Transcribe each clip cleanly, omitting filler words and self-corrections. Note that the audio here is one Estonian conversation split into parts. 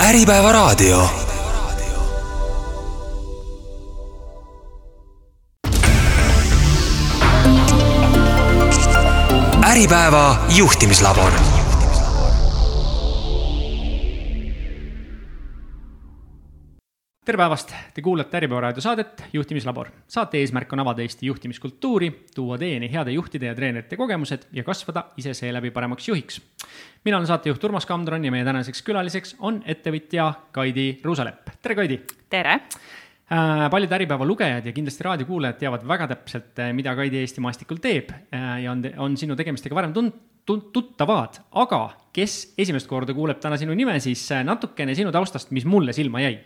Äripäeva raadio. Äripäeva juhtimislabor. Tere päevast! Te kuulate Äripäeva raadio saadet Juhtimislabor. Saate eesmärk on avada Eesti juhtimiskultuuri, tuua teieni heade juhtide ja treenerite kogemused ja kasvada ise seeläbi paremaks juhiks. Mina olen saatejuht Urmas Kamdron ja meie tänaseks külaliseks on ettevõtja Kaidi Ruusalepp. Tere Kaidi! Tere! Paljud Äripäeva lugejad ja kindlasti raadiokuulajad teavad väga täpselt, mida Kaidi Eesti maastikul teeb ja on sinu tegemistega varem tuttavad. Aga kes esimest korda kuuleb täna sinu nime, siis natukene sinu taustast, mis mulle silma jäi.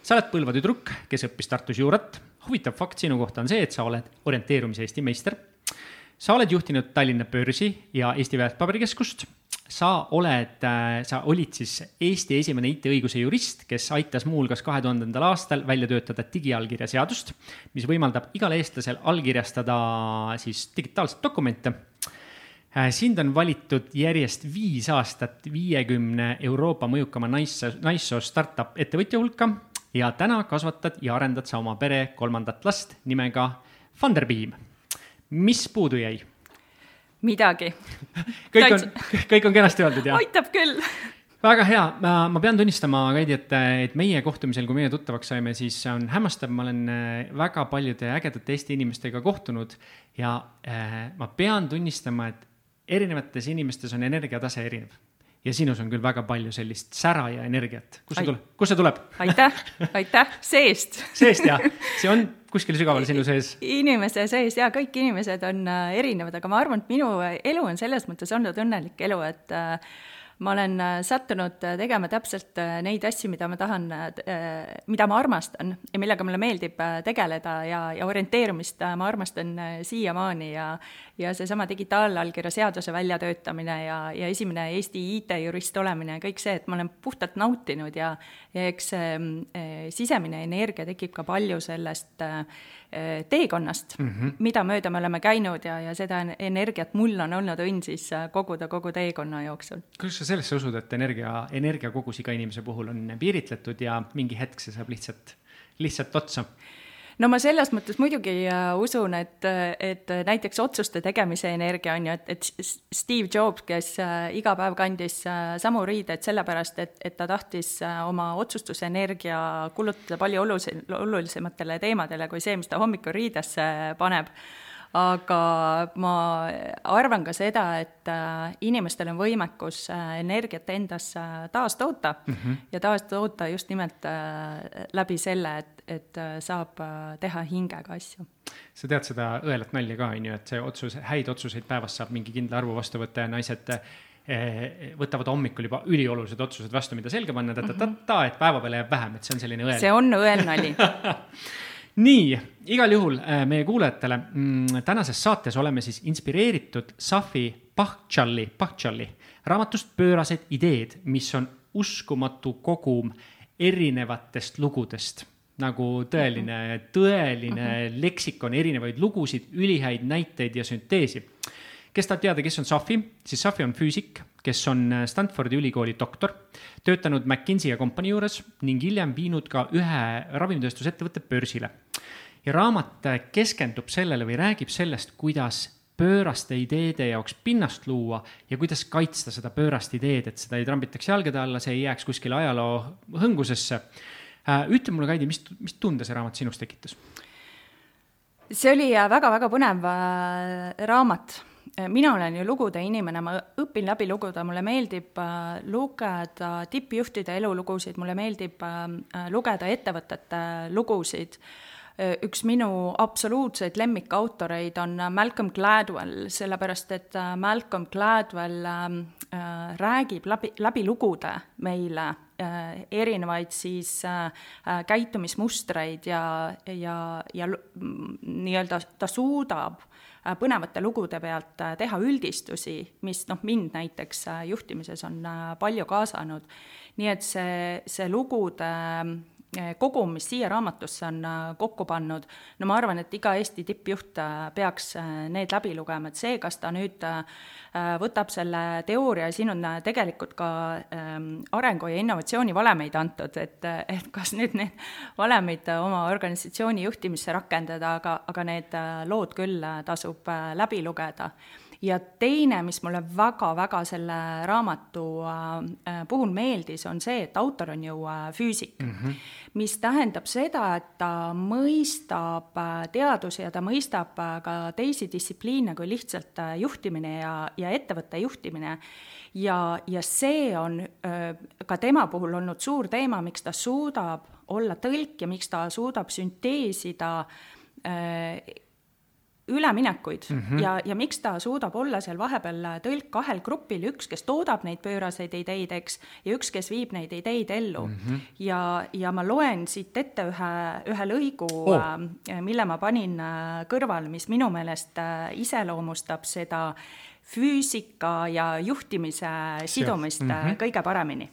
Sa oled Põlva tüdruk, kes õppis Tartus juurat. Huvitav fakt sinu kohta on see, et sa oled orienteerumise Eesti meister. Sa oled juhtinud Tallinna Börsi ja Eesti Väärtpaberikeskust. Sa olid siis Eesti esimene IT-õiguse jurist, kes aitas muulgas 2000. aastal välja töötada digiallkirja seadust, mis võimaldab igal eestlasel allkirjastada siis digitaalset dokumente. Sind on valitud järjest 5 aastat 50 Euroopa mõjukama naissoo startup ettevõtja hulka ja täna kasvatad ja arendad sa oma pere 3. last nimega Funderbeam. Mis puudu jäi? Midagi. Kõik on kenasti öeldud, jah? Aitab küll. Väga hea. Ma pean tunnistama, Kaidi, et meie kohtumisel, kui meie tuttavaks saime, siis on hämmastav. Ma olen väga paljude ägedate Eesti inimestega kohtunud ja ma pean tunnistama, et erinevates inimestes on energiatase erinev. Ja sinus on küll väga palju sellist sära ja energiat. Kus see tuleb? Aitäh. Seest, jah. See on kuskil sügaval sinu sees. Inimese sees, ja kõik inimesed on erinevad, aga ma arvan, et minu elu on selles mõttes olnud õnnelik elu, et ma olen sattunud tegema täpselt neid asju, mida ma tahan, mida ma armastan ja millega mulle meeldib tegeleda ja orienteerumist ma armastan siiamaani ja seesama digitaalallkirja seaduse väljatöötamine ja esimene Eesti IT-jurist olemine ja kõik see, et ma olen puhtalt nautinud ja eks sisemine energia tekib ka palju sellest teekonnast, mida mööda me oleme käinud ja seda energiat mul on olnud õnn siis koguda kogu teekonna jooksul. Kuidas sa sellesse usud, et energia kogus iga inimese puhul on piiritletud ja mingi hetk see saab lihtsalt otsa? No ma selles mõttes muidugi usun, et näiteks otsuste tegemise energia on ju, et Steve Jobs, kes iga päev kandis samu riided sellepärast, et ta tahtis oma otsustusenergia kulutada palju olulisematele teemadele kui see, mis ta hommikul riidesse paneb. Aga ma arvan ka seda, et inimestel on võimekus energiat endas taastoota ja taastoota just nimelt läbi selle, et saab teha hingega asju. Sa tead seda õelat nalja ka, et see häid otsuseid päevas saab mingi kindla arvu vastu võtta ja naised võtavad hommikul juba üliolulised otsused vastu, mida selga panna, et päeva peale jääb vähem, et see on selline õel. See on õel nali. Nii, igal juhul meie kuulajatele tänases saates oleme siis inspireeritud Safi Bahcali raamatust Pöörased ideed, mis on uskumatu kogum erinevatest lugudest, nagu tõeline leksikon, erinevaid lugusid, ülihäid näiteid ja sünteesi. Kes tahab teada, kes on Safi? Siis Safi on füüsik, kes on Stanfordi ülikooli doktor, töötanud McKinsey ja Company juures ning hiljem viinud ka ühe ravimitööstusettevõtte börsile. Ja raamat keskendub sellele või räägib sellest, kuidas pööraste ideede jaoks pinnast luua ja kuidas kaitsta seda pöörast ideed, et seda ei trambitaks jalgade alla, see ei jääks kuskile ajaloo hõngusesse. Ütle mulle, Kaidi, mis tunde see raamat sinust tekitas? See oli väga-väga põnev raamat. Mina olen ju lugude inimene, ma õpin läbi luguda, mulle meeldib lugeda tippjuhtide elulugusid, mulle meeldib lugeda ettevõtete lugusid. Üks minu absoluutseid lemmikautoreid on Malcolm Gladwell, sellepärast et Malcolm Gladwell räägib läbi lugude meile erinevaid siis käitumismustreid ja nii-öelda ta suudab põnevate lugude pealt teha üldistusi, mis mind näiteks juhtimises on palju kaasanud. Nii et see lugude kogum, mis siia raamatusse on kokku pannud, no ma arvan, et iga Eesti tippjuht peaks need läbi lugema, et see, kas ta nüüd võtab selle teooria ja siin on tegelikult ka arengu- ja innovatsioonivalemeid antud, et kas nüüd need valemeid oma organisatsiooni juhtimisse rakendada, aga need lood küll tasub läbi lugeda. Ja teine, mis mulle väga-väga selle raamatu puhul meeldis, on see, et autor on ju füüsik, mis tähendab seda, et ta mõistab teadusi ja ta mõistab ka teisi distsipliine kui lihtsalt juhtimine ja ettevõtte juhtimine. Ja see on ka tema puhul olnud suur teema, miks ta suudab olla tõlk ja miks ta suudab sünteesida üleminekuid ja miks ta suudab olla seal vahepeal tõlk kahel grupil, üks, kes toodab neid pööraseid ideid, eks, ja üks, kes viib neid ideid ellu. Ja ma loen siit ette ühe lõigu, mille ma panin kõrval, mis minu meelest iseloomustab seda füüsika ja juhtimise sidumist kõige paremini.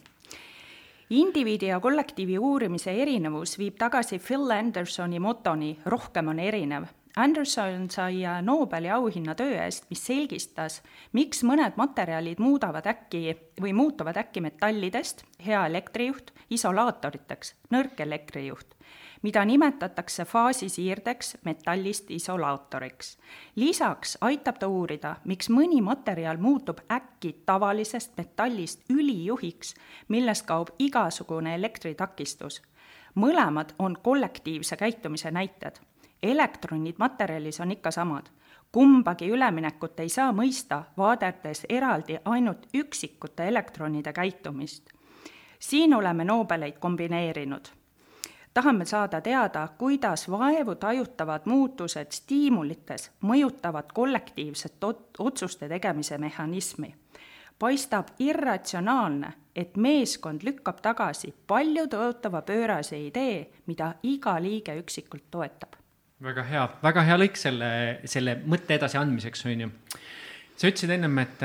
Indiviidi ja kollektiivi uurimise erinevus viib tagasi Phil Andersoni motoni rohkem on erinev. Anderson sai Nobeli auhinna töö eest, mis selgistas, miks mõned materjalid muutuvad äkki metallidest, hea elektrijuht, isolaatoriteks, nõrk elektrijuht, mida nimetatakse faasisiirdeks, metallist isolaatoriks. Lisaks aitab ta uurida, miks mõni materjal muutub äkki tavalisest metallist ülijuhiks, millest kaob igasugune elektritakistus. Mõlemad on kollektiivse käitumise näited. Elektronid materjalis on ikka samad. Kumbagi üleminekut ei saa mõista, vaadates eraldi ainult üksikute elektronide käitumist. Siin oleme Nobeleid kombineerinud. Tahame saada teada, kuidas vaevu tajutavad muutused stiimulites mõjutavad kollektiivset otsuste tegemise mehhanismi. Paistab irratsionaalne, et meeskond lükkab tagasi palju tõotava pöörase idee, mida iga liige üksikult toetab. Väga hea lõik selle mõtte edasi andmiseks, on ju. Sa ütlesid ennem, et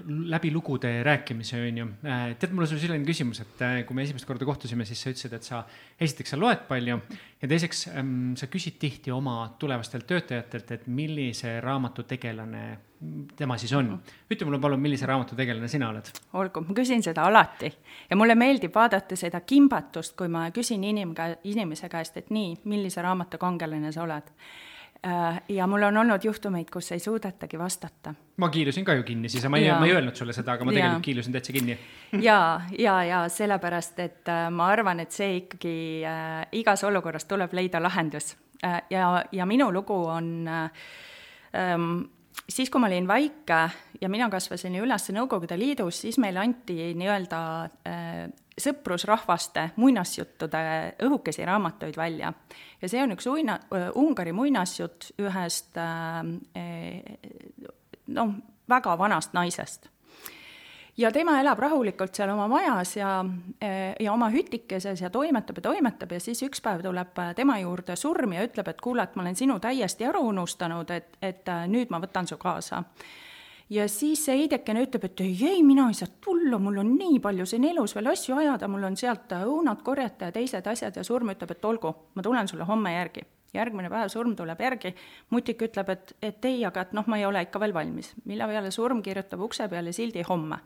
läbi lugude rääkimise, on ju. Tead, mul on sul selline küsimus, et kui me esimest korda kohtusime, siis sa ütlesid, et sa esiteks sa loed palju ja teiseks sa küsid tihti oma tulevastelt töötajatelt, et millise raamatu tegelane tema siis on. Ütle mulle palun, millise raamatu tegelane sina oled? Olgu, ma küsin seda alati ja mulle meeldib vaadata seda kimbatust, kui ma küsin inimese käest, et nii, millise raamatu kangelane sa oled. Ja mul on olnud juhtumeid, kus ei suudetagi vastata. Ma kiilusin ka ju kinni, siis ma ei öelnud sulle seda, aga ma tegelikult kiilusin täitsa kinni. Ja sellepärast, et ma arvan, et see ikkagi igas olukorras tuleb leida lahendus. Ja minu lugu on siis, kui ma olin väike ja mina kasvasin üles Nõukogude Liidus, siis meile anti nii-öelda sõprusrahvaste muinasjuttude õhukesi raamatuid välja. Ja see on üks Ungari muinasjutt ühest väga vanast naisest. Ja tema elab rahulikult seal oma majas ja oma hütikeses ja toimetab ja siis üks päev tuleb tema juurde surm ja ütleb, et kuule, et ma olen sinu täiesti ära unustanud, et nüüd ma võtan su kaasa. Ja siis see heidekene ütleb, et ei, mina ei saa tulla, mul on nii palju siin elus veel asju ajada, mul on sealt õunad korjata ja teised asjad ja surm ütleb, et olgu, ma tulen sulle homme järgi. Järgmine päev surm tuleb järgi, mutik ütleb, et ei, aga ma ei ole ikka veel valmis. Mille peale surm kirjutab ukse peale sildi homme.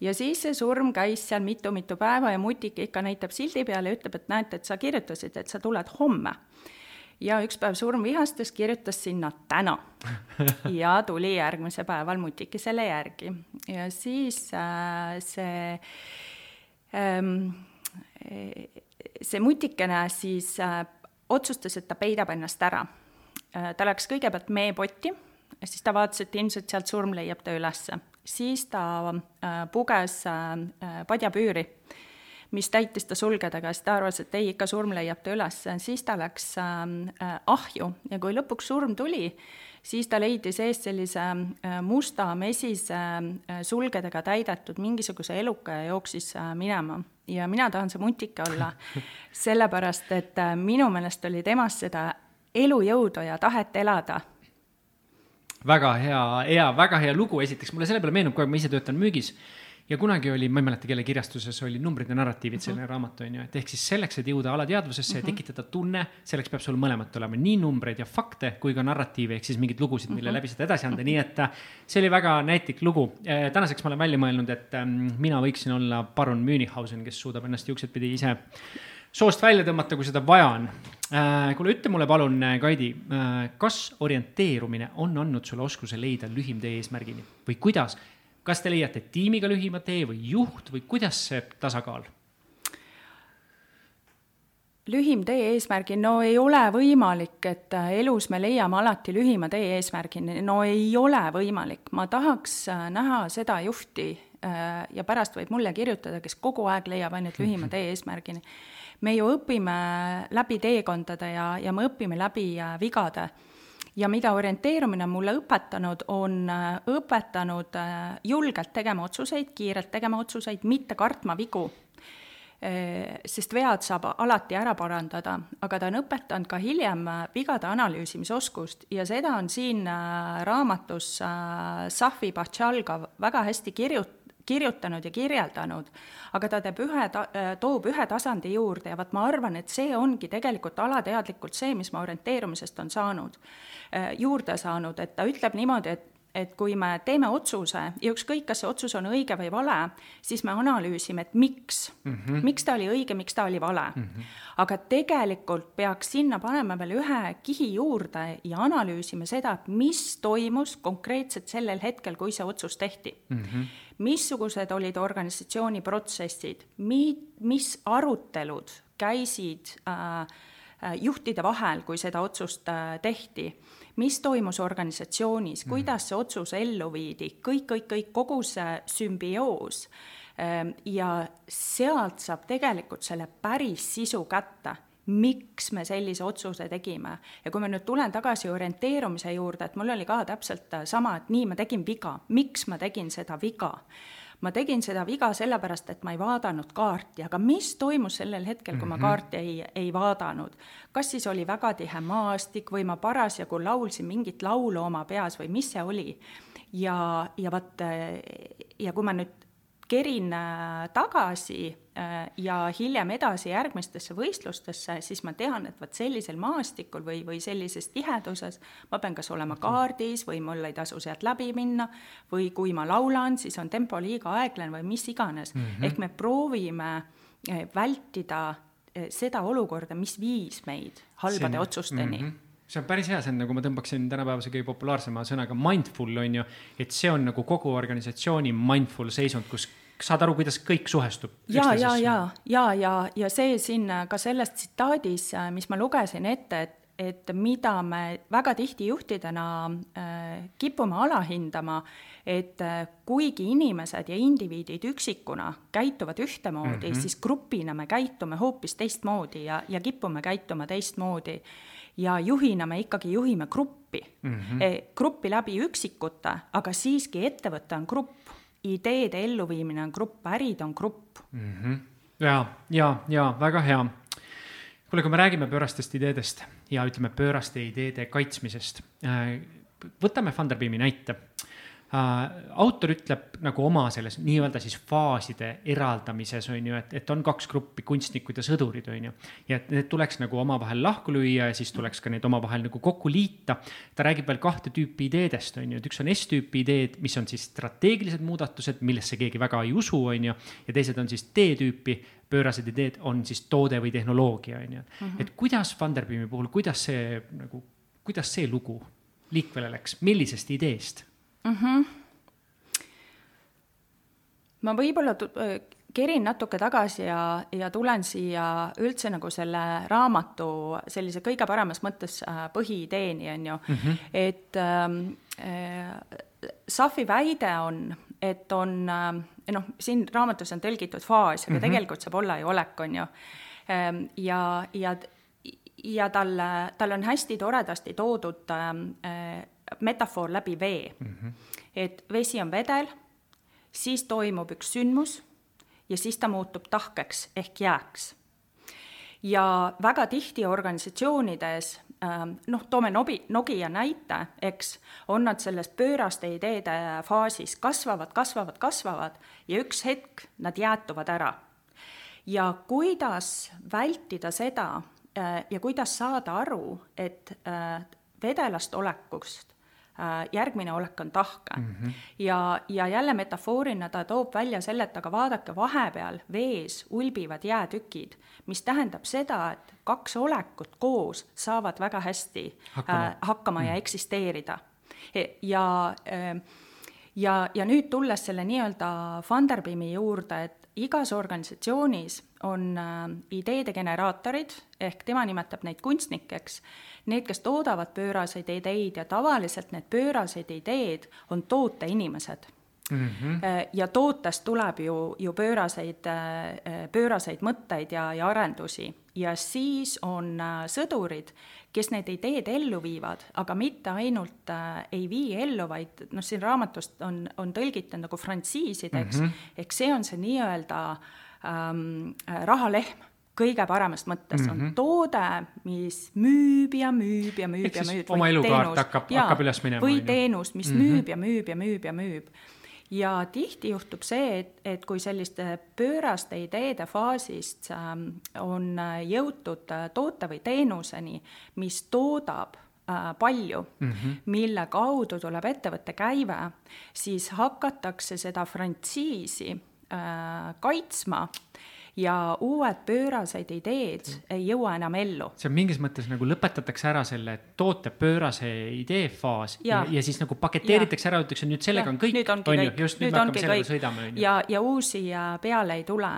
Ja siis see surm käis seal mitu päeva ja mutik ikka näitab sildi peale ja ütleb, et näete, et sa kirjutasid, et sa tuled homme. Ja üks päev surm vihastas, kirjutas sinna täna. Ja tuli järgmise päeval mutiki selle järgi. Ja siis see mutikene siis otsustas, et ta peidab ennast ära. Ta läks kõigepealt meepotti, siis ta vaatas, et ilmselt sealt surm leiab ta ülesse. Siis ta puges padjapüüri, mis täitis ta sulgedega, siis ta arvas, et ei, ikka surm leiab ta üles. Siis ta läks ahju ja kui lõpuks surm tuli, siis ta leidis eest sellise musta mesise sulgedega täidetud mingisuguse eluka ja jooksis minema. Ja mina tahan see mutike olla, sellepärast, et minu meelest oli temast seda elujõudu ja tahet elada. Väga hea lugu esiteks. Mulle selle peale meenub, kui ma ise töötan müügis Ja kunagi oli, ma ei mäleta, kelle kirjastuses oli numbrid ja narratiivid selline raamat, on ju, et ehk siis selleks, et jõuda alateadvusesse ja tekitada tunne, selleks peab sul mõlemat olema nii numbreid ja fakte kui ka narratiive, ehk siis mingid lugusid, mille läbi seda edasi anda. Nii et see oli väga näitlik lugu. Tänaseks ma olen välja mõelnud, et mina võiksin olla Baron Münchhausen, kes suudab ennast juuksed pidi ise soost välja tõmmata, kui seda vaja on. Kuule, ütle mulle palun, Kaidi, kas orienteerumine on andnud sulle oskuse leida lühim tee eesmärgini või kuidas? Kas te leiate tiimiga lühima tee või juht või kuidas see tasakaal? Lühim tee eesmärgini, no ei ole võimalik, et elus me leiame alati lühima tee eesmärgini. No ei ole võimalik. Ma tahaks näha seda juhti ja pärast võib mulle kirjutada, kes kogu aeg leiab ainult lühima tee eesmärgini. Me ju õpime läbi teekondade ja me õpime läbi vigade. Ja mida orienteerumine mulle õpetanud, on õpetanud julgelt tegema otsuseid, kiirelt tegema otsuseid, mitte kartma vigu, sest vead saab alati ära parandada, aga ta on õpetanud ka hiljem vigade analüüsimisoskust ja seda on siin raamatus Safi Bahchalga väga hästi kirjutanud ja kirjeldanud, aga ta toob ühe tasandi juurde ja ma arvan, et see ongi tegelikult alateadlikult see, mis ma orienteerumisest on juurde saanud, et ta ütleb niimoodi, et kui me teeme otsuse ja ükskõik, kas see otsus on õige või vale, siis me analüüsime, et miks ta oli õige, miks ta oli vale. Aga tegelikult peaks sinna panema veel ühe kihi juurde ja analüüsime seda, et mis toimus konkreetselt sellel hetkel, kui see otsus tehti. Missugused olid organisatsiooni protsessid, mis arutelud käisid juhtide vahel, kui seda otsust tehti, mis toimus organisatsioonis, kuidas see otsus ellu viidi, kõik, kogu see sümbioos. Ja sealt saab tegelikult selle päris sisu kätte, miks me sellise otsuse tegime. Ja kui ma nüüd tulen tagasi orienteerumise juurde, et mul oli ka täpselt sama, et nii ma tegin viga, miks ma tegin seda viga. Ma tegin seda viga sellepärast, et ma ei vaadanud kaarti, aga mis toimus sellel hetkel, kui ma kaarti ei vaadanud? Kas siis oli väga tihe maastik või ma parasjagu laulsin mingit laulu oma peas või mis see oli? Ja kui ma nüüd kerin tagasi ja hiljem edasi järgmistesse võistlustesse, siis ma tean, et sellisel maastikul või sellises tiheduses ma pean kas olema kaardis või mul ei tasu sealt läbi minna või kui ma laulan, siis on tempo liiga aeglane või mis iganes. Ehk me proovime vältida seda olukorda, mis viis meid halbade otsusteni. See on päris hea, see on nagu ma tõmbaksin tänapäevase kõige populaarsema sõnaga mindful, on ju, et see on nagu kogu organisatsiooni mindful seisund, kus saad aru, kuidas kõik suhestub. Ja see siin ka selles tsitaadis, mis ma lugesin ette, et mida me väga tihti juhtidena kipume alahindama, et kuigi inimesed ja indiviidid üksikuna käituvad ühtemoodi, siis grupina me käitume hoopis teistmoodi ja kipume käituma teistmoodi. Ja juhina me ikkagi juhime gruppi. Gruppi läbi üksikute, aga siiski ettevõte on grupp, ideede elluviimine on grupp, ärid on grupp. Ja, väga hea. Kuule, kui me räägime pöörastest ideedest ja ütleme pööraste ideede kaitsmisest, võtame Funderbeami näite. Autor ütleb nagu oma selles nii-öelda siis faaside eraldamises, on ju, et on kaks gruppi, kunstnikud ja sõdurid, on ju, ja et need tuleks nagu omavahel lahku lüüa ja siis tuleks ka need omavahel nagu kokku liita. Ta räägib veel 2 tüüpi ideedest, on ju, et üks on S-tüüpi ideed, mis on siis strateegilised muudatused, millesse keegi väga ei usu, on ju, ja teised on siis T-tüüpi, pöörased ideed on siis toode või tehnoloogia, on ju. Et kuidas Funderbeami puhul, kuidas see lugu liikvele läks, millisest ideest? Ma võib-olla kerin natuke tagasi ja tulen siia üldse nagu selle raamatu sellise kõige paremas mõttes põhiideeni, on ju. Et Safi väide on, et on, siin raamatus on tõlgitud faas, aga tegelikult saab olla ju olek, on ju. Ja tal on hästi toredasti toodud metafoor läbi vee. Et vesi on vedel, siis toimub üks sündmus ja siis ta muutub tahkeks ehk jääks. Ja väga tihti organisatsioonides toome Nokia näite, eks, on nad selles pööraste ideede faasis, kasvavad ja üks hetk nad jäätuvad ära. Ja kuidas vältida seda ja kuidas saada aru, et vedelast olekust järgmine olek on tahke. Ja jälle metafoorina ta toob välja selle, et aga vaadake, vahepeal vees ulbivad jäätükid, mis tähendab seda, et 2 olekut koos saavad väga hästi hakkama ja eksisteerida. Ja nüüd tulles selle nii-öelda Funderbeami juurde, et igas organisatsioonis on ideede generaatorid, ehk tema nimetab neid kunstnikeks, need, kes toodavad pööraseid ideid ja tavaliselt need pööraseid ideed on tooteinimesed. Ja tootest tuleb ju pööraseid mõtteid ja arendusi. Ja siis on sõdurid, kes need ideed ellu viivad, aga mitte ainult ei vii ellu, vaid siin raamatust on tõlgitud nagu frantsiisideks, ehk see on see nii-öelda rahalehm kõige paremast mõttes. On toode, mis müüb ja müüb ja müüb ja müüb. Oma elukaart hakkab üles minema. Või teenus, mis müüb ja müüb ja müüb ja müüb. Ja tihti juhtub see, et kui selliste pööraste ideede faasist on jõutud toote või teenuseni, mis toodab palju, mille kaudu tuleb ettevõtte käive, siis hakatakse seda frantsiisi kaitsma ja uued pööraseid ideed ei jõua enam ellu. See on mingis mõttes nagu lõpetatakse ära selle toote pöörase idee faas ja siis nagu paketeeritakse ära, ütleks, nüüd sellega on kõik. Nüüd ongi kõik. Ja uusi peale ei tule.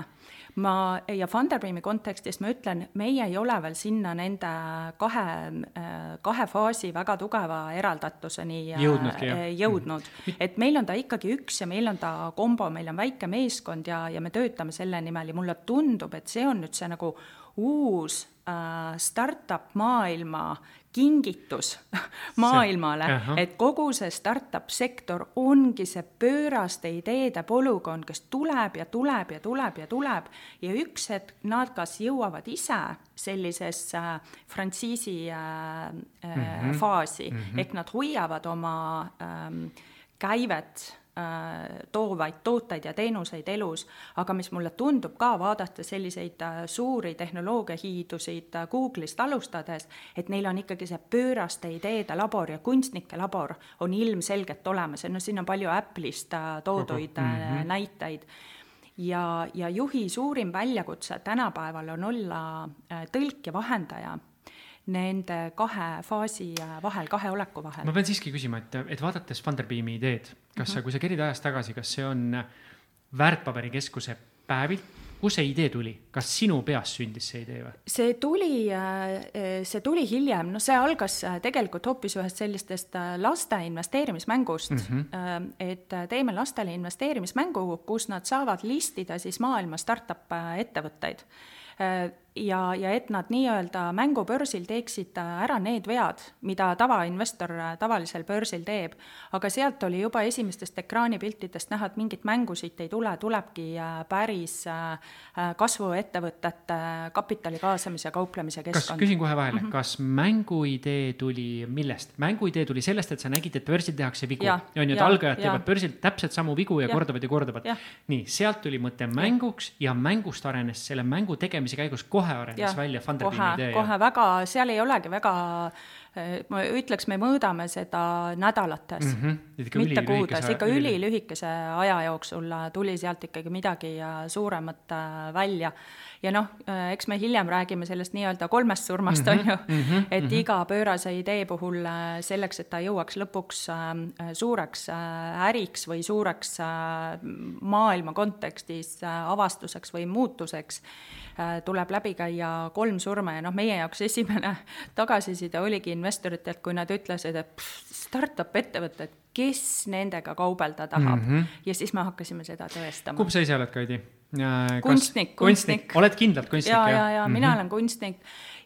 Ja Funderbeami kontekstis ma ütlen, meie ei ole veel sinna nende kahe faasi väga tugeva eraldatuseni jõudnud. Et meil on ta ikkagi üks ja meil on ta kombo, meil on väike meeskond ja me töötame selle nimel ja mulle tundub, et see on nüüd see nagu uus startup maailma kingitus maailmale, et kogu see startup sektor ongi see pööraste ideede polügoon, kes tuleb ja üks hetk nad kas jõuavad ise sellisesse frantsiisi faasi, ehk nad hoiavad oma käivet toovaid tooteid ja teenuseid elus, aga mis mulle tundub ka vaadata selliseid suuri tehnoloogiahiidusid Google'ist alustades, et neil on ikkagi see pööraste ideede labor ja kunstnike labor on ilmselgelt olemas. Siin on palju Apple'ist tooduid näiteid. Ja juhi suurim väljakutse tänapäeval on olla tõlk ja vahendaja nende kahe faasi vahel, kahe oleku vahel. Ma pean siiski küsima, et vaadates Funderbeami ideed, kui sa kerid ajast tagasi, kas see on väärtpaberikeskuse päevilt, kus see idee tuli? Kas sinu peas sündis see idee või? See tuli hiljem, see algas tegelikult hoopis ühest sellistest laste investeerimismängust, et teeme lastele investeerimismängu, kus nad saavad listida siis maailma startup ettevõtteid. Ja et nad nii-öelda mängubörsil teeksid ära need vead, mida tavainvestor tavalisel börsil teeb, aga sealt oli juba esimestest ekraanipiltidest näha, et mingit mängusid ei tule, tulebki päris kasvuettevõtete kapitali kaasamise ja kauplemise keskkond. Küsin kohe vahele, kas mänguidee tuli millest? Mänguidee tuli sellest, et sa nägid, et börsil tehakse vigu. Et algajad teevad börsil täpselt samu vigu ja kordavad. Nii, sealt tuli mõte mänguks ja mängust arenes selle mängu tegemise käigus kohe arenes välja Funderbeami idee. Kohe väga, seal ei olegi väga, ma ütleks, me mõõdame seda nädalates, mitte kuudes, ikka ülilühikese aja jooksul tuli sealt ikkagi midagi suuremat välja. Ja eks me hiljem räägime sellest nii-öelda 3 surmast, on ju, et iga pöörase idee puhul selleks, et ta jõuaks lõpuks suureks äriks või suureks maailma kontekstis avastuseks või muutuseks, tuleb läbi käia 3 surma ja meie jaoks esimene tagasiside oligi investoritelt, kui nad ütlesid, et startup ettevõtted, kes nendega kaubelda tahab. Ja siis me hakkasime seda tõestama. Kumb sa ise oled, Kaidi? Kunstnik. Oled kindlalt kunstnik? Ja mina olen kunstnik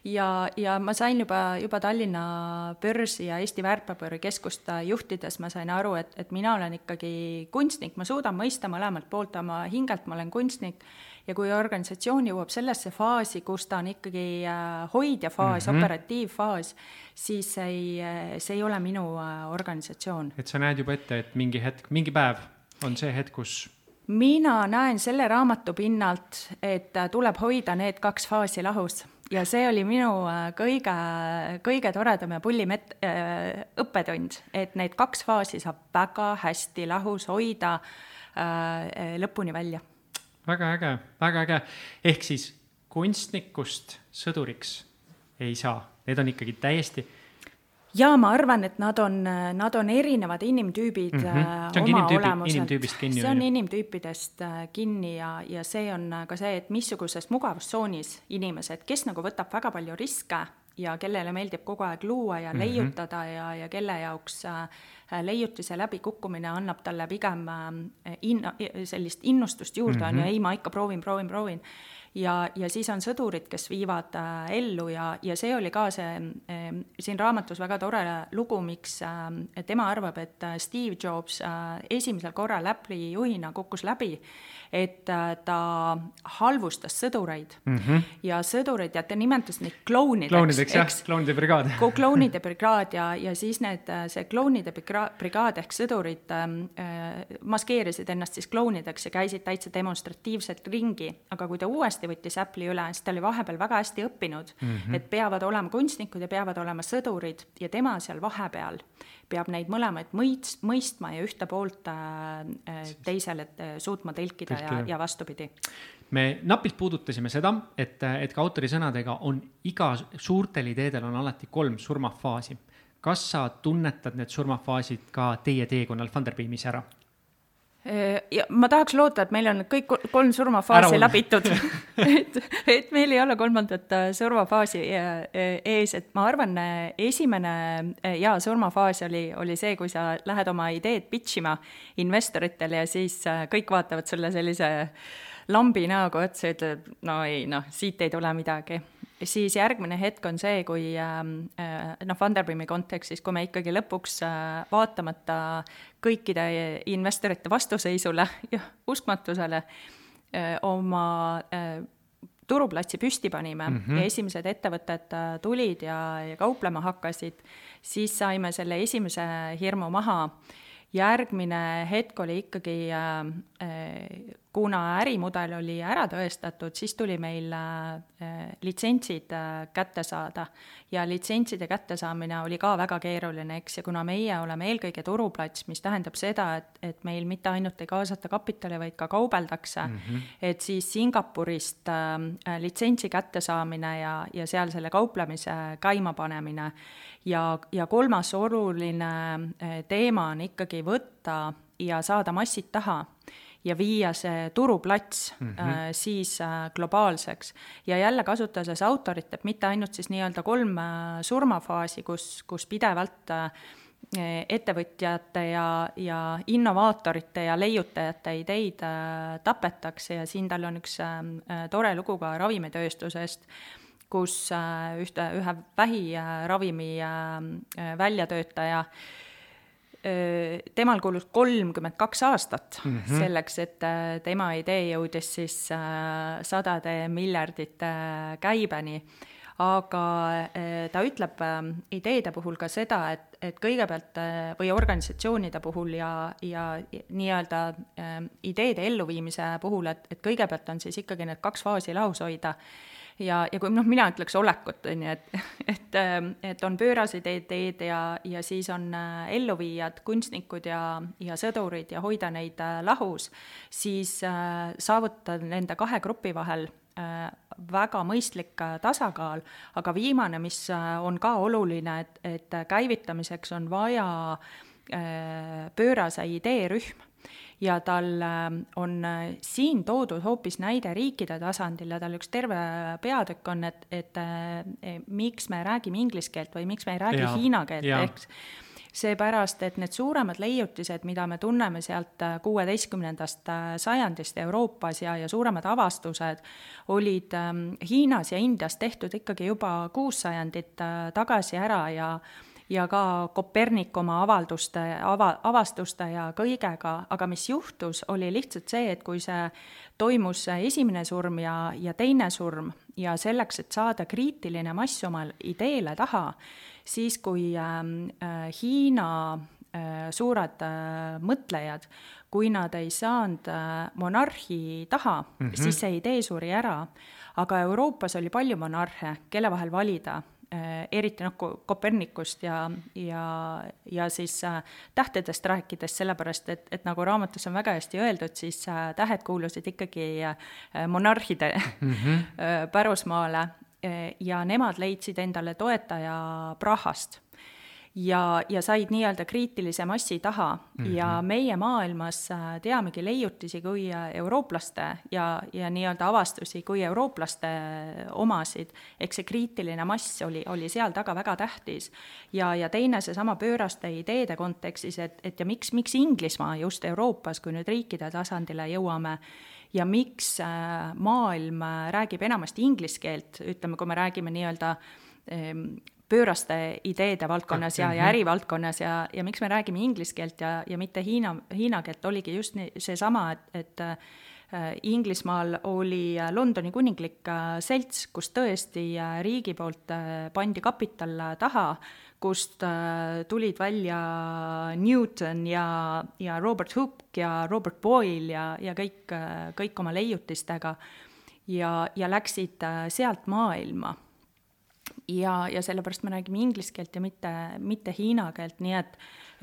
ja ma sain juba Tallinna börsi ja Eesti väärtpaberikeskust juhtides, ma sain aru, et mina olen ikkagi kunstnik, ma suudan mõista mõlemalt poolt oma hingelt, ma olen kunstnik, ja kui organisatsioon jõuab sellesse faasi, kus ta on ikkagi hoidja faas, operatiivfaas, siis see ei ole minu organisatsioon. Et sa näed juba ette, et mingi päev on see hetk, kus... Mina näen selle raamatu pinnalt, et tuleb hoida need 2 faasi lahus. Ja see oli minu kõige toredam ja pullim õppetund, et need 2 faasi saab väga hästi lahus hoida lõpuni välja. Väga äge. Ehk siis kunstnikust sõduriks ei saa. Need on ikkagi täiesti... Ja ma arvan, et nad on erinevad inimtüübid oma olemuselt. See on inimtüüpidest kinni ja see on ka see, et missuguses mugavustsoonis inimesed, kes nagu võtab väga palju riske ja kellele meeldib kogu aeg luua ja leiutada ja kelle jaoks leiutise läbi kukkumine annab talle pigem sellist innustust juurde, on ju, ei, ma ikka proovin. Ja siis on sõdurid, kes viivad ellu ja see oli ka siin raamatus väga tore lugu, miks tema arvab, et Steve Jobs esimesel korral Apple'i juhina kukkus läbi, et ta halvustas sõdureid ja sõdureid, ja ta nimetas neid klounideks, jah, klounide brigaad. Klounide brigaad ja siis see klounide brigaad ehk sõdurid maskeerisid ennast siis klounideks ja käisid täitsa demonstratiivselt ringi, aga kui ta uuesti võttis Apple'i üle, siis ta oli vahepeal väga hästi õppinud, et peavad olema kunstnikud ja peavad olema sõdurid ja tema seal vahepeal peab neid mõlemaid mõistma ja ühte poolt teisele suutma tõlkida ja vastupidi. Me napilt puudutasime seda, et ka autori sõnadega on iga suurtel ideedel on alati 3 surmafaasi. Kas sa tunnetad need surmafaasid ka teie teekonnal Funderbeamis ära? Ja ma tahaks loota, et meil on kõik 3 surmafaasi läbitud, et meil ei ole 3. surmafaasi ees, et ma arvan, esimene surmafaas oli see, kui sa lähed oma ideed pitchima investoritele ja siis kõik vaatavad sulle sellise lambi näoga otsa ja ütleb, siit ei tule midagi. Siis järgmine hetk on see, kui Funderbeami kontekstis, kui me ikkagi lõpuks vaatamata kõikide investorite vastuseisule ja uskmatusele oma turuplatsi püsti panime ja esimesed ettevõtted tulid ja kauplema hakkasid, siis saime selle esimese hirmu maha. Järgmine hetk oli ikkagi, kuna ärimudel oli ära tõestatud, siis tuli meil litsentsid kätte saada ja litsentside kätte saamine oli ka väga keeruline, eks, ja kuna meie oleme eelkõige turuplats, mis tähendab seda, et meil mitte ainult ei kaasata kapitali, vaid ka kaubeldakse, et siis Singapurist litsentsi kätte saamine ja seal selle kauplemise käima panemine ja 3. oluline teema on ikkagi võtta ja saada massid taha ja viia see turuplats siis globaalseks. Ja jälle kasutades autorit, et mitte ainult siis nii-öelda 3 surmafaasi, kus pidevalt ettevõtjate ja innovaatorite ja leiutajate ideid tapetakse ja siin tal on üks tore lugu ka ravimitööstusest, kus ühe vähiravimi väljatöötaja temal kulus 32 aastat selleks, et tema idee jõudis siis 100 miljardite käibeni. Aga ta ütleb ideede puhul ka seda, et kõigepealt või organisatsioonide puhul ja nii-öelda ideede elluviimise puhul, et kõigepealt on siis ikkagi need 2 faasi lahus hoida. Ja kui mina ütleks olekut, et on pöörased ideed ja siis on elluviijad, kunstnikud ja sõdurid ja hoida neid lahus, siis saavutada nende 2 grupi vahel väga mõistlik tasakaal, aga viimane, mis on ka oluline, et käivitamiseks on vaja pöörase ideerühm. Ja tal on siin toodud hoopis näide riikide tasandil ja tal üks terve peatükk on, et miks me räägime inglise keelt või miks me ei räägi hiina keelt, ehk seepärast, et need suuremad leiutised, mida me tunneme sealt 16. sajandist Euroopas ja suuremad avastused olid Hiinas ja Indias tehtud ikkagi juba 6 sajandit tagasi ära ja ka Kopernik oma avastuste ja kõigega, aga mis juhtus, oli lihtsalt see, et kui see toimus esimene surm ja teine surm ja selleks, et saada kriitiline mass oma ideele taha, siis kui Hiina suured mõtlejad, kui nad ei saanud monarhi taha, siis see idee suri ära, aga Euroopas oli palju monarhe, kelle vahel valida, eriti Kopernikust ja siis tähtedest rääkides, sellepärast, et nagu raamatus on väga hästi öeldud, siis tähed kuulusid ikkagi monarhide pärusmaale ja nemad leidsid endale toetaja Prahast ja said nii-öelda kriitilise massi taha ja meie maailmas teamegi leiutisi kui eurooplaste ja nii-öelda avastusi kui eurooplaste omasid, eks see kriitiline mass oli seal taga väga tähtis ja teine seesama pööraste ideede kontekstis, et ja miks Inglismaa just Euroopas, kui nüüd riikide tasandile jõuame, ja miks maailm räägib enamasti inglise keelt, ütleme, kui me räägime nii-öelda pööraste ideede valdkonnas ja ärivaldkonnas ja miks me räägime inglise keelt ja mitte hiina keelt, oligi just seesama, et Inglismaal oli Londoni kuninglik selts, kus tõesti riigi poolt pandi kapital taha, kust tulid välja Newton ja Robert Hooke ja Robert Boyle ja kõik oma leiutistega ja läksid sealt maailma. Ja sellepärast me räägime inglise keelt ja mitte hiina keelt, nii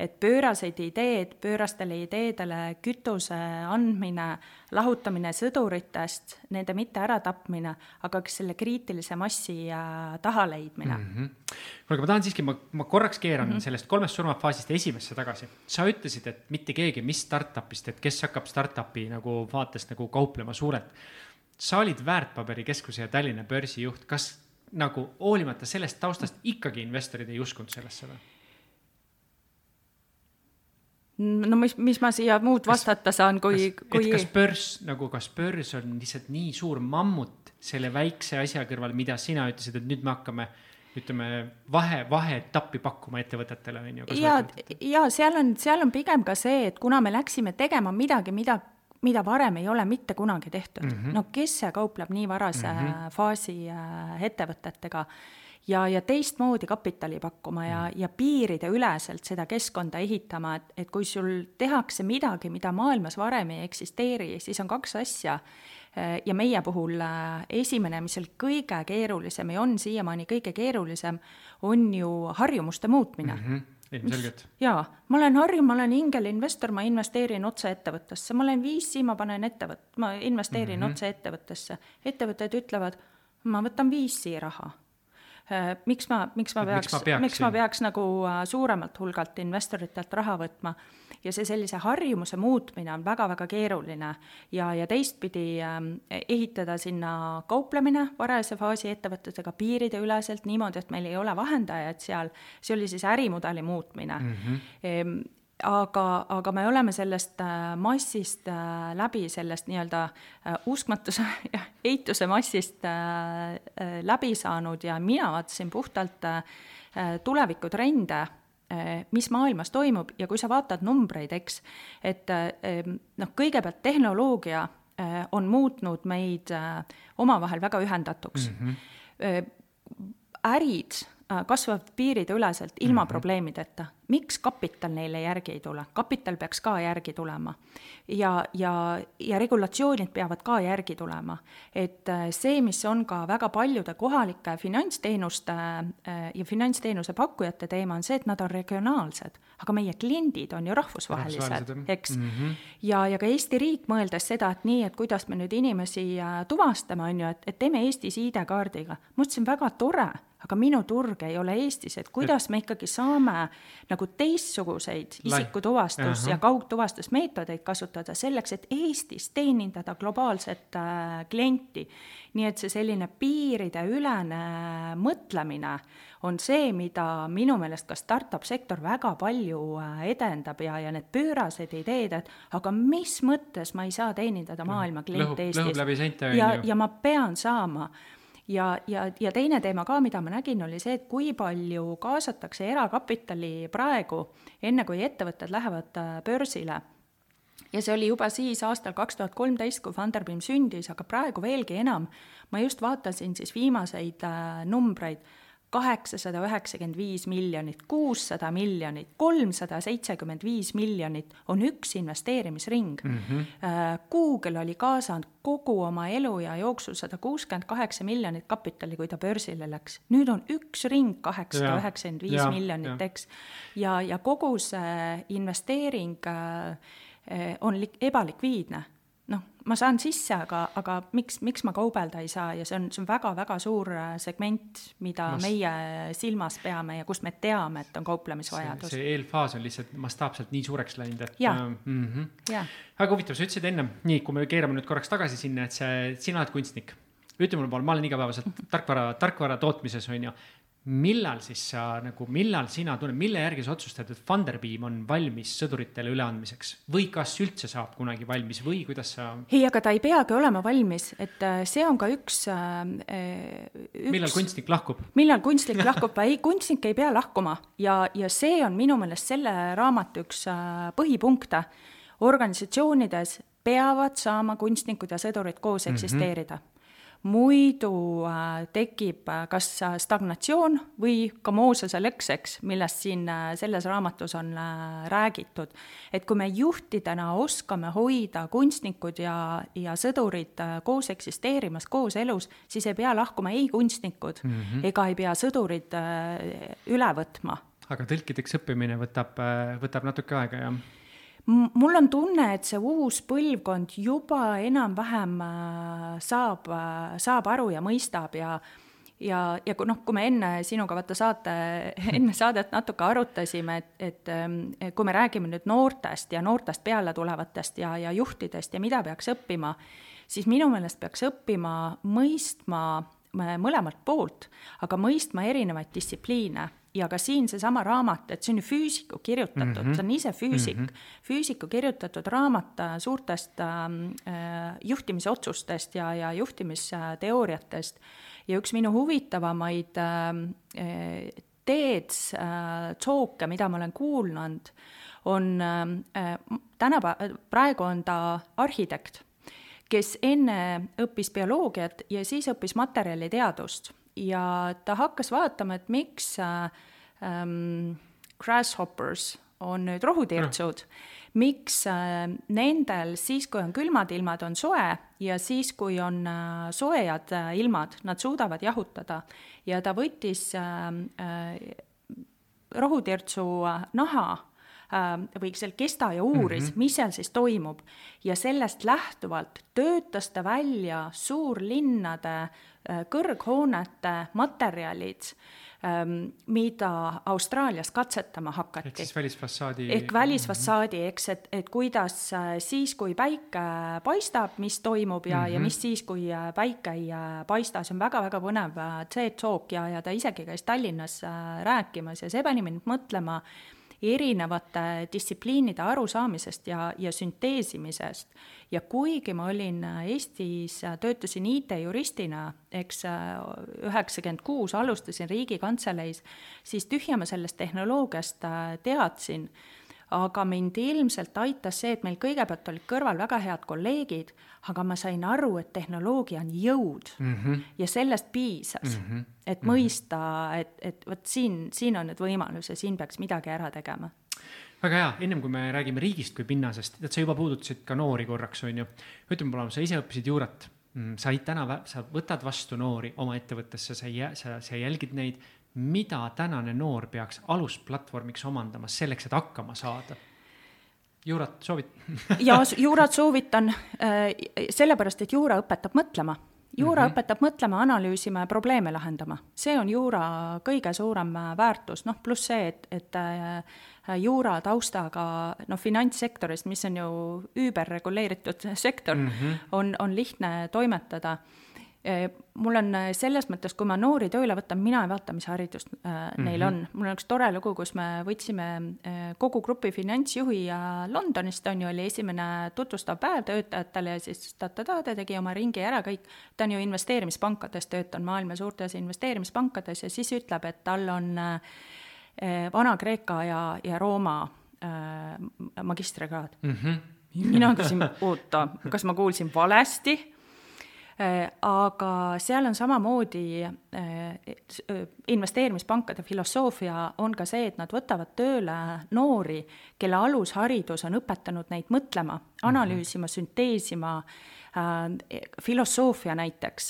et pööraseid ideed, pöörastele ideedele kütuse andmine, lahutamine sõduritest, nende mitte ära tapmine, aga selle kriitilise massi taha leidmine. Aga ma tahan siiski, ma korraks keeran sellest 3 surmafaasist esimesse tagasi. Sa ütlesid, et mitte keegi, mis startupist, et kes hakkab startupi nagu vaatest nagu kauplema suurelt. Sa olid Väärtpaberi keskuse ja Tallinna börsi juht, kas nagu hoolimata sellest taustast ikkagi investorid ei uskunud sellesse või? No mis ma siia muud vastata saan, kui... Kas börs on lihtsalt nii suur mammut selle väikse asja kõrval, mida sina ütlesid, et nüüd me hakkame, ütleme, vaheetappi pakkuma ettevõtetele? Ja seal on pigem ka see, et kuna me läksime tegema midagi, mida varem ei ole mitte kunagi tehtud. No kes see kaupleb nii varase faasi ettevõtetega ja teistmoodi kapitali pakkuma ja piiride üleselt seda keskkonda ehitama, et kui sul tehakse midagi, mida maailmas varem ei eksisteeri, siis on 2 asja. Ja meie puhul esimene, mis oli kõige keerulisem ja on siiamaani kõige keerulisem, on ju harjumuste muutmine. Jaa, ma olen ingelinvestor, ma investeerin otse ettevõttesse, ma olen VC, ma investeerin otse ettevõttesse. Ettevõtted ütlevad, ma võtan VC raha. Miks ma peaks nagu suuremalt hulgalt investoritelt raha võtma ja see sellise harjumuse muutmine on väga-väga keeruline ja teistpidi ehitada sinna kauplemine varase faasi ettevõtetega piiride üleselt niimoodi, et meil ei ole vahendajaid seal, see oli siis ärimudeli muutmine. Aga me oleme sellest massist läbi, sellest nii-öelda uskmatuse ja eituse massist läbi saanud ja mina vaatasin puhtalt tulevikutrende, mis maailmas toimub ja kui sa vaatad numbreid, eks, et kõigepealt tehnoloogia on muutnud meid omavahel väga ühendatuks. Ärid kasvavad piiride üleselt ilma probleemideta. Miks kapital neile järgi ei tule? Kapital peaks ka järgi tulema ja regulatsioonid peavad ka järgi tulema. Et see, mis on ka väga paljude kohalike finantsteenuste ja finantsteenuse pakkujate teema on see, et nad on regionaalsed, aga meie kliendid on ju rahvusvahelised, eks? Ja ka Eesti riik mõeldes seda, et nii, et kuidas me nüüd inimesi tuvastame, on ju, et teeme Eestis ID-kaardiga. Mõtlesin väga tore, aga minu turg ei ole Eestis, et kuidas me ikkagi saame nagu nagu teistsuguseid isikutuvastus- ja kaugtuvastusmeetodeid kasutada selleks, et Eestis teenindada globaalset klienti. Nii et see selline piiride ülene mõtlemine on see, mida minu meelest ka startup sektor väga palju edendab ja need pöörased ideed, et aga mis mõttes ma ei saa teenindada maailma kliente Eestis. Lõhub läbi seinte ja ma pean saama. Ja teine teema ka, mida ma nägin, oli see, et kui palju kaasatakse erakapitali praegu, enne kui ettevõtted lähevad börsile. Ja see oli juba siis aastal 2013, kui Funderbeam sündis, aga praegu veelgi enam. Ma just vaatasin siis viimaseid numbreid, 895 miljonit, 600 miljonit, 375 miljonit on üks investeerimisring. Google oli kaasanud kogu oma elu ja jooksul 168 miljonit kapitali, kui ta börsile läks. Nüüd on üks ring 895 miljonit, eks. Ja kogu see investeering on ebalikviidne. Ma saan sisse, aga miks ma kaubelda ei saa ja see on väga-väga suur segment, mida meie silmas peame ja kus me teame, et on kauplemisvajadus. See eelfaas on lihtsalt mastaapselt nii suureks läinud, et Väga huvitav, sa ütlesid enne, nii kui me keerame nüüd korraks tagasi sinna, et sina oled kunstnik. Ütle mulle, ma olen igapäevaselt tarkvara tootmises, on ju. Millal sina tunned, mille järgi sa otsustad, et Funderbeam on valmis sõduritele üleandmiseks või kas üldse saab kunagi valmis või kuidas sa... Ei, aga ta ei peagi olema valmis, et see on ka üks... Millal kunstnik lahkub? Millal kunstnik lahkub? Ei, kunstnik ei pea lahkuma ja see on minu meelest selle raamatu üks põhipunkte. Organisatsioonides peavad saama kunstnikud ja sõdurid koos eksisteerida. Muidu tekib kas stagnatsioon või ka Moosese lõkseks, millest siin selles raamatus on räägitud. Et kui me juhtidena oskame hoida kunstnikud ja sõdurid koos eksisteerimas, koos elus, siis ei pea lahkuma ei kunstnikud ega ei pea sõdurid üle võtma. Aga tõlkideks õppimine võtab natuke aega, jah? Mul on tunne, et see uus põlvkond juba enam-vähem saab aru ja mõistab ja kui me enne sinuga enne saadet natuke arutasime, et kui me räägime nüüd noortest ja noortest peale tulevatest ja juhtidest ja mida peaks õppima, siis minu meelest peaks õppima mõistma mõlemalt poolt, aga mõistma erinevaid distsipliine. Ja ka siin seesama raamat, et see on ju füüsiku kirjutatud, see on ise füüsiku kirjutatud raamat suurtest juhtimisotsustest ja juhtimisteooriatest. Ja üks minu huvitavamaid TED-talke, mida ma olen kuulnud, on praegu on ta arhitekt, kes enne õppis bioloogiat ja siis õppis materjaliteadust. Ja ta hakkas vaatama, et miks grasshoppers on nüüd rohutirtsud, miks nendel siis, kui on külmad ilmad, on soe ja siis, kui on soojad ilmad, nad suudavad jahutada. Ja ta võttis rohutirtsu naha või seal kesta ja uuris, mis seal siis toimub. Ja sellest lähtuvalt töötas ta välja suurlinnade kõrghoonete materjalid, mida Austraalias katsetama hakati. Ehk siis välisfassaadi. Ehk välisfassaadi, eks, et kuidas siis, kui päike paistab, mis toimub ja mis siis, kui päike ei paista. See on väga-väga põnev TED-talk ja ta isegi käis Tallinnas rääkimas ja see pani mind mõtlema erinevate distsipliinide arusaamisest ja sünteesimisest. Ja kuigi ma olin Eestis, töötasin IT-juristina, eks 96 alustasin Riigikantseleis, siis tühja ma sellest tehnoloogiast teadsin. Aga mind ilmselt aitas see, et meil kõigepealt olid kõrval väga head kolleegid, aga ma sain aru, et tehnoloogia on jõud ja sellest piisas, et mõista, et võt siin on nüüd võimalus ja siin peaks midagi ära tegema. Väga hea, ennem kui me räägime riigist kui pinnasest, et sa juba puudutasid ka noori korraks, on ju. Ütleme mulle, sa ise õppisid juurat, sa võtad vastu noori oma ettevõttesse, sa jälgid neid, mida tänane noor peaks alusplatvormiks omandama selleks, et hakkama saada? Juurat soovit? Ja juurat soovitan sellepärast, et juura õpetab mõtlema. Juura õpetab mõtlema, analüüsima ja probleeme lahendama. See on juura kõige suurem väärtus, pluss see, et juura taustaga finantssektorist, mis on ju üüberreguleeritud sektor, on lihtne toimetada. Mul on selles mõttes, kui ma noori tööle võtan, mina ei vaata, mis haridust neil on. Mul on üks tore lugu, kus me võtsime kogu grupi finantsjuhi ja Londonist, oli esimene tutvustav päev töötajatele ja siis ta tegi oma ringi ära kõik. Ta on ju investeerimispankades töötanud, maailma suurtes investeerimispankades ja siis ütleb, et tal on Vana-Kreeka ja Rooma magistrikraad. Mina küsin, oota, kas ma kuulsin valesti? Aga seal on samamoodi investeerimispankade filosoofia on ka see, et nad võtavad tööle noori, kelle alusharidus on õpetanud neid mõtlema, analüüsima, sünteesima. Filosoofia näiteks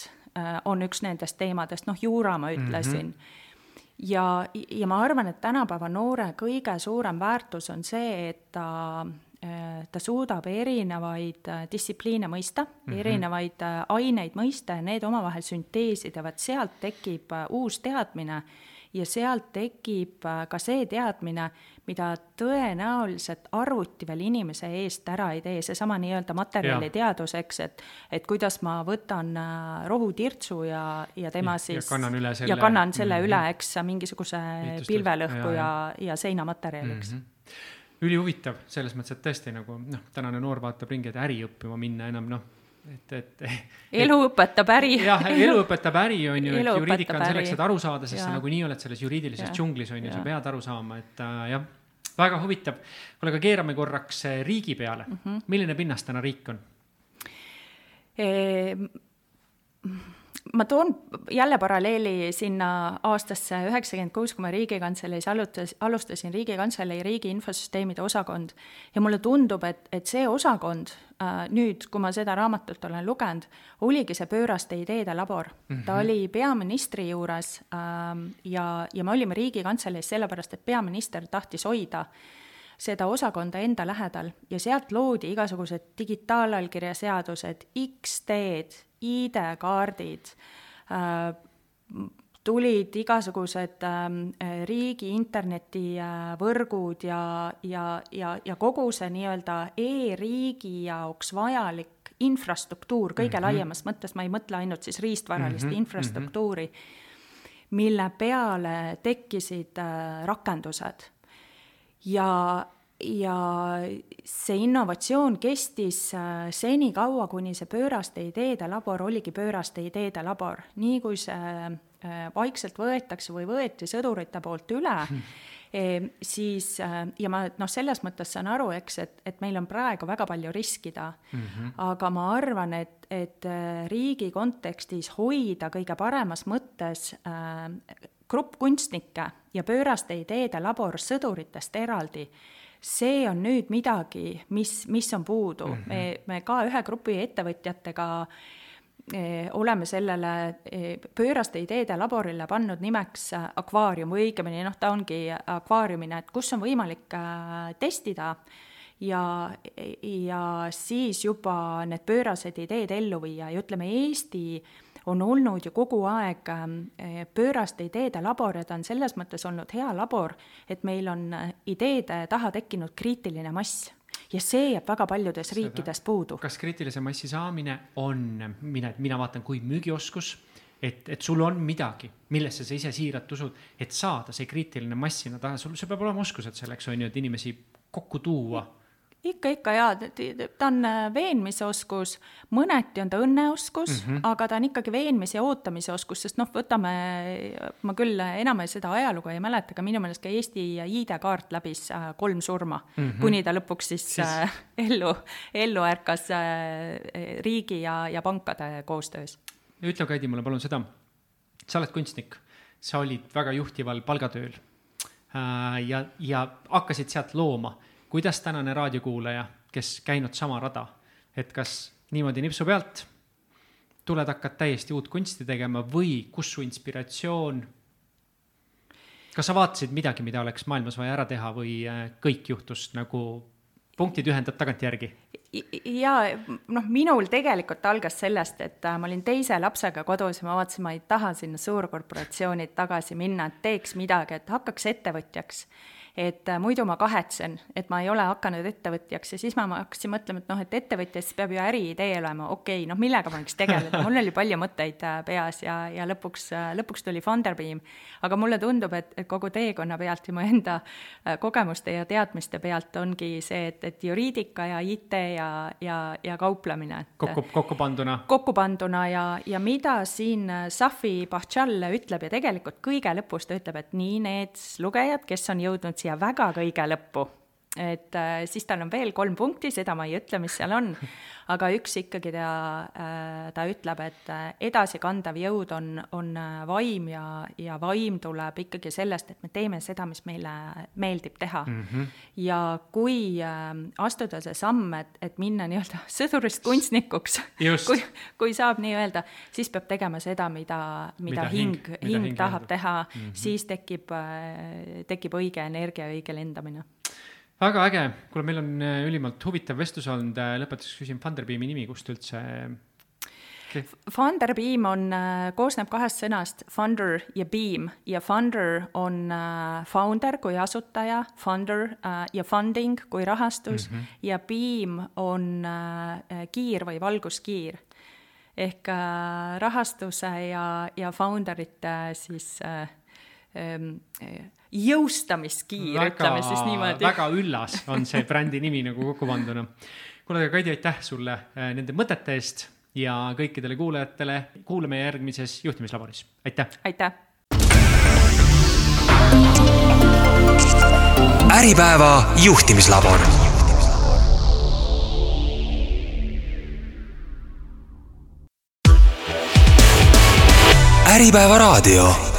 on üks nendest teemadest, juura ma ütlesin. Ja ma arvan, et tänapäeva noore kõige suurem väärtus on see, et ta suudab erinevaid distsipliine mõista, erinevaid aineid mõista ja need omavahel sünteesida, sealt tekib uus teadmine ja sealt tekib ka see teadmine, mida tõenäoliselt arvuti veel inimese eest ära ei tee, seesama nii-öelda materjaliteadus, eks, et kuidas ma võtan rohutirtsu ja tema siis ja kannan selle üle, eks, mingisuguse pilvelõhku ja seinamaterjaliks. Ülihuvitav selles mõttes, et tõesti nagu tänane noor vaatab ringi, et äri õppima minna enam elu õpetab äri. Jah, elu õpetab äri on ju, et juriidika on selleks, et aru saada, sest sa nagu nii oled selles juriidilises džunglis on ju, sa pead aru saama, et jah, väga huvitav. Aga keerame korraks riigi peale. Milline pinnas täna riik on? Ma toon jälle paralleeli sinna aastasse 96, kui ma Riigikantseleis alustasin Riigikantselei riigi infosüsteemide osakond ja mulle tundub, et see osakond nüüd, kui ma seda raamatut olen lugenud, oligi see pööraste ideede labor. Ta oli peaministri juures ja me olime Riigikantseleis sellepärast, et peaminister tahtis hoida seda osakonda enda lähedal ja sealt loodi igasugused digitaalallkirjaseadused, X-teed, ID-kaardid, tulid igasugused riigi internetivõrgud ja kogu see nii-öelda e-riigi jaoks vajalik infrastruktuur, kõige laiemas mõttes, ma ei mõtle ainult siis riistvaralist infrastruktuuri, mille peale tekkisid rakendused. Ja see innovatsioon kestis seni kaua, kuni see pööraste ideede labor oligi pööraste ideede labor. Nii kui see vaikselt võetakse või võeti sõdurite poolt üle, siis, ja ma selles mõttes saan aru, eks, et meil on praegu väga palju riskida, aga ma arvan, et riigi kontekstis hoida kõige paremas mõttes grupp kunstnikke ja pööraste ideede labor sõduritest eraldi, see on nüüd midagi, mis on puudu. Me ka ühe grupi ettevõtjatega oleme sellele pööraste ideede laborile pannud nimeks akvaarium, või õigemini, ta ongi akvaariumina, et kus on võimalik testida ja siis juba need pöörased ideed ellu viia ja ütleme, Eesti on olnud ju kogu aeg pööraste ideede labor ja ta on selles mõttes olnud hea labor, et meil on ideede taha tekkinud kriitiline mass ja see jääb väga paljudes riikides puudu. Kas kriitilise massi saamine on, mina vaatan kui müügioskus, et sul on midagi, millesse sa ise siiralt usud, et saada see kriitiline massina taha, sul peab olema oskused selleks, on ju, et inimesi kokku tuua. Ikka jaa, ta on veenmisoskus, mõneti on ta õnneoskus, aga ta on ikkagi veenmise ja ootamise oskus, sest võtame, ma küll enam seda ajalugu ei mäleta, aga minu meelest ka Eesti ID-kaart läbis 3 surma, kuni ta lõpuks siis ellu ärkas riigi ja pankade koostöös. Ütle, Kaidi, mulle palun seda, sa oled kunstnik, sa olid väga juhtival palgatööl ja hakkasid sealt looma. Kuidas tänane raadiokuulaja, kes käinud sama rada, et kas niimoodi nipsu pealt tuled hakkad täiesti uut kunsti tegema või kus su inspiratsioon, kas sa vaatasid midagi, mida oleks maailmas vaja ära teha või kõik juhtus nagu punktid ühendad tagantjärgi? Ja minul tegelikult algas sellest, et ma olin teise lapsega kodus ja ma vaatasin, ma ei taha sinna suurkorporatsioonid tagasi minna, et teeks midagi, et hakkaks ettevõtjaks. Et muidu ma kahetsen, et ma ei ole hakanud ettevõtjaks ja siis ma hakkasin mõtlema, et ettevõtjas peab ju äriidee olema, okei, millega ma võiks tegeleda, mul oli palju mõtteid peas ja lõpuks tuli Funderbeam, aga mulle tundub, et kogu teekonna pealt ja mu enda kogemuste ja teadmiste pealt ongi see, et juriidika ja IT ja kauplemine. Kokku panduna ja mida siin Safi Bahchal ütleb ja tegelikult kõige lõpus ta ütleb, et nii need lugejad, kes on jõudnud siia väga kõige lõppu, et siis tal on veel 3 punkti, seda ma ei ütle, mis seal on, aga üks ikkagi ta ütleb, et edasikandav jõud on vaim ja vaim tuleb ikkagi sellest, et me teeme seda, mis meile meeldib teha. Ja kui astuda see samm, et minna nii-öelda sõdurist kunstnikuks, kui saab nii öelda, siis peab tegema seda, mida hing tahab teha, siis tekib õige energia, õige lendamine. Väga äge, kuule, meil on ülimalt huvitav vestlus olnud, lõpetuseks küsin Funderbeami nimi, kust üldse? Funderbeam koosneb 2 sõnast, funder ja beam, ja funder on founder kui asutaja, funder ja funding kui rahastus, ja beam on kiir või valguskiir. Ehk rahastuse ja founderite siis jõustamiskiir, ütleme siis niimoodi. Väga üllas on see brändi nimi nagu kokku panduna. Kuule, Kaidi, aitäh sulle nende mõtete eest ja kõikidele kuulajatele. Kuuleme järgmises juhtimislaboris. Aitäh! Aitäh! Äripäeva juhtimislabor. Äripäeva raadio.